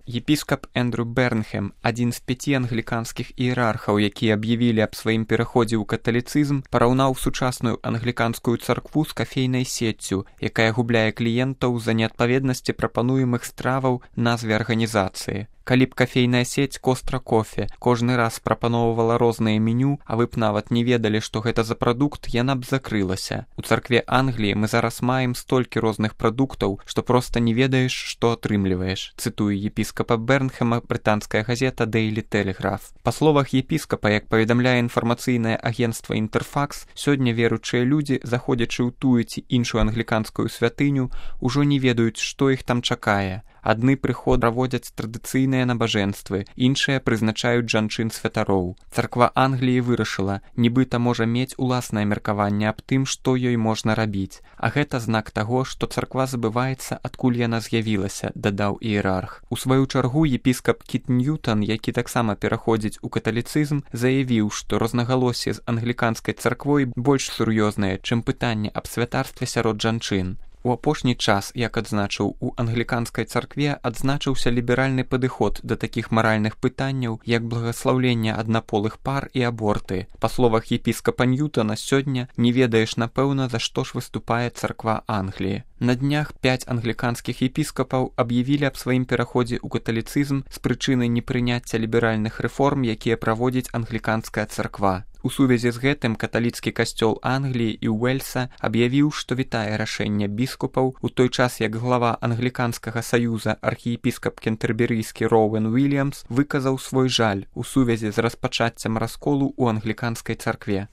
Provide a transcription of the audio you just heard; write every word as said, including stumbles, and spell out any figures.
Епіскап Эндрю Бернхэм, адзін з пяці англіканскіх іерархаў, якія аб'явілі аб сваім пераходзе ў каталіцызм, параўнаў сучасную англіканскую царкву з кафейнай сеццю, якая губляе кліентаў з-за неадпаведнасці прапануемых страваў назве арганізацыі. Калі б кафейная сеть Костра Кофе кожны раз прапаноўвала розныя меню, а вы б нават не ведалі, што гэта за прадукт, яна б закрылася. У царкве Англіі мы зараз маем столькі розных прадуктаў, што проста не ведаеш, што атрымліваеш, цытуе епіскапа Бернхэма брытанская газета Daily Telegraph. Па словах епіскапа, як паведамляе інфармацыйнае агенцтва Інтэрфакс, сёння веруючыя людзі, заходзячы ў тую ці іншую англіканскую святыню, ужо не ведаюць, што іх там чакае. Адны прыход праводзяць традыцыйныя набажэнствы, іншыя прызначаюць жанчын-святароў. Царква Англіі вырашыла, нібыта можа мець уласнае меркаванне аб тым, што ёй можна рабіць. А гэта знак таго, што царква забываецца, адкуль яна з'явілася, дадаў іерарх. У сваю чаргу епіскап Кіт Ньютон, які таксама пераходзіць у каталіцызм, заявіў, што рознагалоссі з англіканскай царквой больш сур'ёзнае, чым пытанне аб святарстве сярод жанчын. У апошні час, як адзначыў, у англіканскай царкве адзначыўся ліберальны падыход да такіх маральных пытанняў, як благаслаўленне аднаполых пар і аборты. Па словах епіскапа Ньютона, сёння не ведаеш, напэўна, за што ж выступае царква Англіі. На днях пяць англіканскіх епіскапаў аб'явілі аб сваім пераходзе ў каталіцызм з прычыны непрыняцця ліберальных рэформ, якія праводзіць англіканская царква. У сувязі з гэтым каталіцкі касцёл Англіі і Уэльса аб'явіў, што вітае рашэнне біскупаў, у той час як глава англіканскага саюза архіепіскап кентэрберыйскі Роуэн Уільямс выказаў свой жаль у сувязі з распачаццем расколу ў англіканскай царкве.